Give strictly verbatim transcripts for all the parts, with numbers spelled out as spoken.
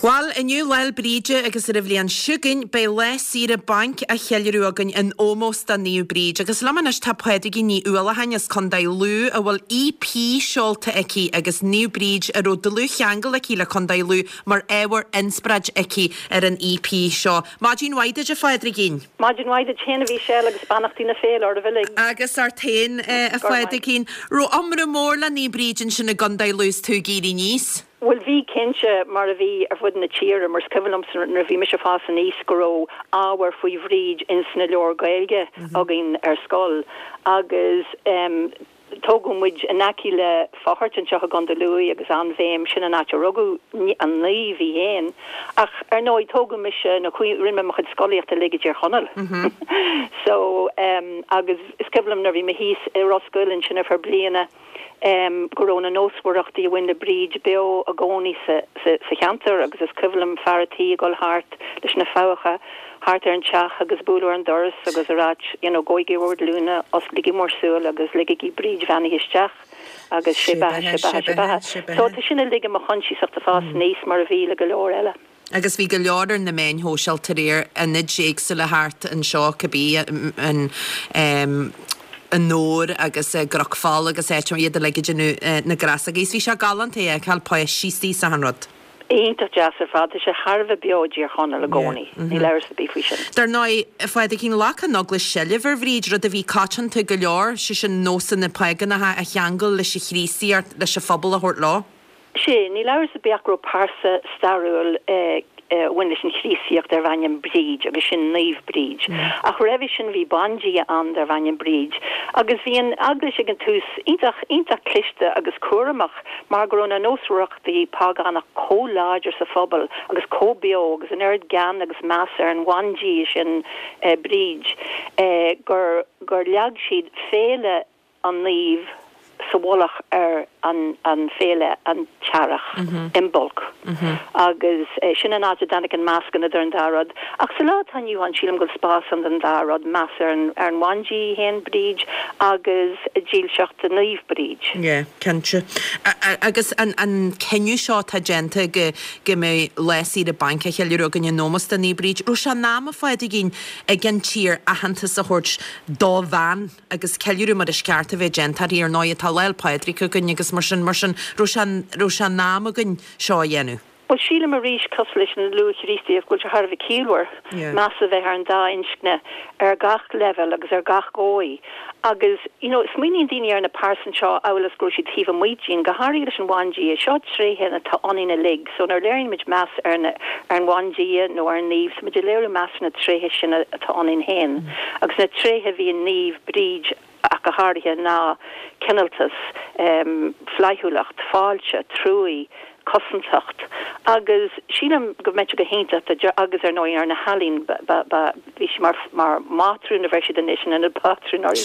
Bhuel, inniu Lá 'le Bríde agus ar an bhliain seo chugainn beidh lá saoire bainc á cheiliúradh againn in ómós do Naomh Bríd. Agus liom anois tá Pádraigín Ní Uallacháin as Contae Lú a bhfuil EP seolta aici agus Naomh Bríd a raibh dlúthcheangal aici le Contae Lú mar ábhar inspioráid aici ar an EP seo. Maidin mhaith duit a Phádraigín. Maidin mhaith duit féin a Mhichelle agus beannachtaí na féile oraibh uilig. Agus ort féin a Phádraigín. Raibh iomramh mór le Naomh Bríd ansin i gContae Lú is tú ag éirí aníos. Bhuel bhí cinnte mar a bhí ar fud na tíre mar is cuimhin liomsa nuair a bhí mise ag fás aníos go raibh ábhar faoi Bhríd ins na leabhair Gaeilge againn ar scoil agus um, tógadh muid in aice le Faughart anseo i gContae Lú agus an-bhéim sin an áit a rugadh an naomh í féin ach ar ndóigh tógadh mise na rinne mé mo chuid scolaíochta uilig i dTír Chonaill. so um, agus is cuimhin liom nuair bhí mé thíos i Ros Goill ansin ar feadh bliana um, go raibh na nósmhaireachtaí a bhain le Bríd beo i gcónaí sa, sa, sa cheantar agus is cuimhin liom fear an tí ag dul thart leis na fabhacha thart ar an teach agus bualadh ar an doras agus a rá you know, gabhaigí bhur nglúine osclaígí bhur súile agus ligigí Bríd bheannaithe isteach agus sé beatha sé beatha sé beatha. So tá sin uilig i mo choinsias ag fás aníos mar a bhí le go leor eile. Agus bhí go leor ar na meáin shóisialta aréir ionaid éagsúla thart anseo cibé an um, an Nór agus uh, gCnocfál agus áit iad le déanamh na gcreasaí. Bhí sé galánta é cael páistí sa han rud. Iontach deas ar fad sé thar a bheith beo i dTír Chonaill i gcónaí, Ní leir bí faoi sin. Dar ndóigh Phádraigín ghlac an Eaglais seilbh ar Bhríd rud a bhí coitianta go leor sé sin nósanna págánacha a cheangal leis an Chríostaíocht leis an phobal a thabhairt leo. Sé ní leir a beach ro parsa stairiúil eh, bhain leis an Chríostaíocht darbh ainm Bríd agus sin Naomh Bríd. Mm. Ach roimhe sin bhí bandia ann darbh ainm Bríd. Agus bhí an eaglais ag an tús iontach iontach cliste agus cúramach mar go raibh na nósmhaireachtaí págánach chomh láidir sa phobal agus chomh beo agus an oiread gean agus meas ar an bhandia sin eh, Bríd eh, gur gur leag siad féile an naomh sa mhullach ar an, an féile an t-earrach mm -hmm. Imbolc. Mm -hmm. agus eh, sin an áit a dtáinig an meascán idir an dá rud. Ach sa lá atá inniu ann sílim go spás an den dá rud meas ar an ar an bhandia féin Bríd agus dílseacht Naomh Bríd. Yeah, cinnte. Agus an, an cinneadh seo tá déanta go go mbeidh lá saoire bainc á cheiliúradh againn in ómós do Naomh Bríd. Raibh sé in am a Phádraigín ag an tír aitheantas a thabhairt do bhean agus ceiliúradh mar is ceart a bheith déanta ar ndóigh tá Lá 'le Pádraig againn agus mar sin mar sin raibh sé in am againn seo a dhéanamh. Well sílim arís cosúil leis an luath-Chríostaíocht bhfuil sé thar a bheith ciallmhar meas a bheith ar an dá inscne ar gach level agus ar gach dóigh. Agus you know, smaoiníonn daoine ar na pearsan seo amhail is go raibh siad taobh amuigh dínn go háirithe leis an bhandia seo tréithe atá ionainn uilig, so nuair a léiríonn muid meas ar na ar an bhandia nó ar an naomh, so muid ag léiriú meas na tréithe sin atá ionainn féin. Mm. Agus na tréithe bhí i Naomh Bríd ach go háirithe ná cineáltas, um, flaithiúlacht, fáilte, trua, cosantacht agus sílim go mbeadh go hiontach agus ar ndóigh ar na healaíona bhí sí mar mar mátrún a bheir siad anois in na pátrún ar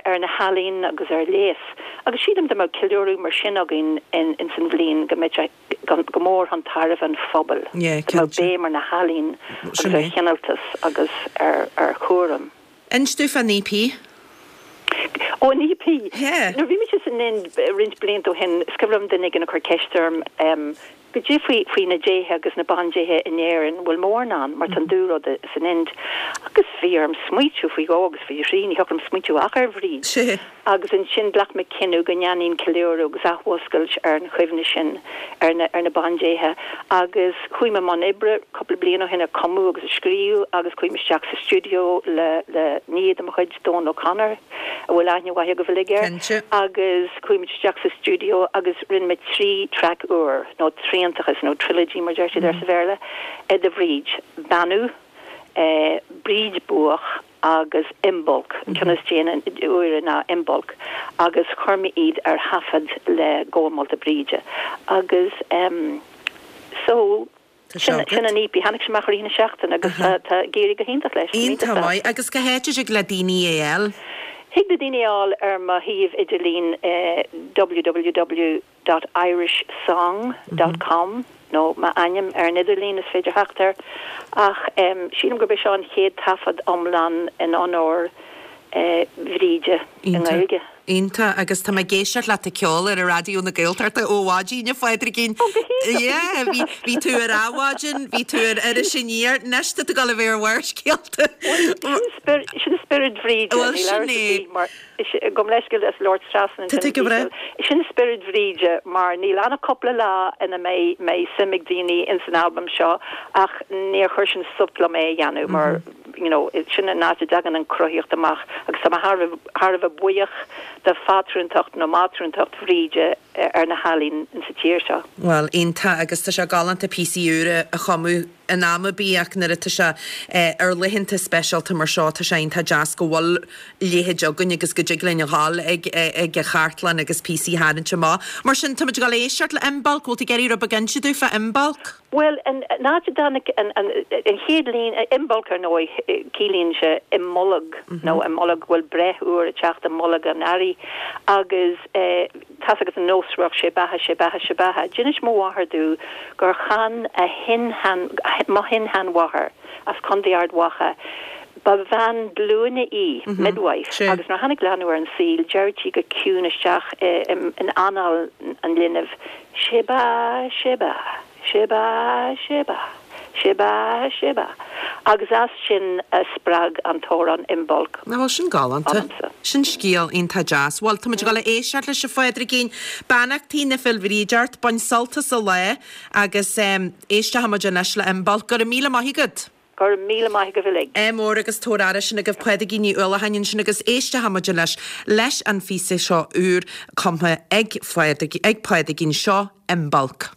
ar na healaíona agus ar léas. Agus sílim dá mbeadh ceiliúradh mar sin againn in, in san bhliain go mbeadh go mór chun tairbhe an phobail. Béim ar na healaíona agus ar chineáltas agus ar ar chúram. Inis domh fán EP? Ó an EP. Nuair bhí mise san Ind roinnt blianta ó shin is cuimhin liom duine éigin ag cur ceist orm um, goidé faoi faoi na déithe agus na bandéithe in Éirinn bhfuil mórán ann mar tá an dúrud san Ind. Agus bhí orm smaoitiú faoi dhó agus faoi thrí ní thiocfadh liom smaoitiú ach ar Bhríd. Agus ansin ghlac mé cinneadh go ndéanfainn ceiliúradh agus athmhúscailt ar an chuimhne sin ar na ar na bandéithe agus chuaigh mé i mbun oibre cúpla bliain ó shin ag cumadh agus ag scríobh agus chuaigh mé isteach sa stiúideo le le nia de mo chuid Dónal O'Connor a bhfuil aithne mhaith agaibh uilig air agus chuaigh muid isteach sa stiúideo agus rinne mé trí traic úr nó triantachas nó trilogy mar deir siad ar sa Bhéarla de Bhríd Beannú eh, Bríd Buach agus Imbolc an ceann is déanaí úire ná Imbolc agus chuir mé iad ar thaifead le Gabha Molta Bríde agus um, so sin sin an EP tháinig sé amach i rith na seachtaine agus tá ag éirí go hiontach leis. Iontach maith agus cá háit a dtig le daoine é a fháil. Thig le daoine é a fháil ar mo shuíomh idirlín eh, www dot irishsong dot com nó m'ainm ar an idirlíon is féidir theacht air ach um, sílim gurb é seo an chéad taifead iomlán in onóir eh, Bhríde i nGaeilge. Iontach, agus tá mé ag éisteacht leat ag ceol ar Raidió na Gaeltachta ó mhaidin, a Phádraigín. Ó, go hiontach! Yeah, bhí, bhí tú ar Adhmhaidin, bhí tú ar Iris Aniar, anois tá tú ag dul a bheith ar Bharrscéalta. Sin spior, sin spiorad Bhríde, Bhuel, níl sin amhras ar é. bith, mar gabh mo leithscéal as labhairt trasna Tá ansin, tú go breá. Sin spiorad Bhríde, mar níl ann ach cúpla lá ina mbeidh, mbeidh suim ag daoine ins an albam seo ach níor chuir sin stop liom é a dhéanamh mar, you know, sin an áit a dtagann an chruthaíocht amach agus tá mé thar a thar a bheith buíoch de phátrúntacht nó mátrúntacht Bhríde ar na healaín insa tír seo. Bhuel, iontach agus tá sé galánta píosaí úra a chumadh in am ar bith ach nuair atá sé ar laethanta speisialta mar seo tá sé iontach deas go bhfuil leithéid againn agus go dtig linn a dhul ag ag an chartlann agus píosaí a tharraingt amach. Mar sin, táimid ag dul a éisteacht le Imbolc, bhfuil tú ag iarraidh rud beag a inse dúinn fá Imbolc? Bhuel, an áit a dtáinig an an chéad líne, Imbolc ar ndóigh, ciallaíonn sé i mbolg nó i mbolg, bhuel breith úr ag teacht i mbolg an earraigh agus tá's agat an nós raibh sé beatha, sé beatha, sé beatha. D'inis mo mháthair domh gur chan a shin-shean, mo shin-sheanmháthair as Contae Ard Mhacha, ba bhean glúine í, midwife, agus nuair a tháinig leanbh ar an saol, deireadh sí go ciúin isteach in anáil an linbh, sé beatha, sé beatha. Sé beatha, sé beatha, sé beatha, sé beatha. Agus as sin a spreag an t-amhrán Imbolc Ná bhuel, sin galánta. ionamsa. Sin scéal iontach deas. Bhuel, táimid ag dul a éisteacht leis a Phádraigín. Beannachtaí na Féile Bhríde ort, bain sult as an lá agus éisteochaimid anois le Imbolc. Go raibh míle maith agat. Go raibh míle maith agaibh uilig. Ádh mór agus tabhair aire sin agaibh Pádraigín Ní Uallacháin ansin agus éisteochaimid anois leis an phíosa seo úr cumtha ag Phádraig, ag Pádraigín. Seo Imbolc.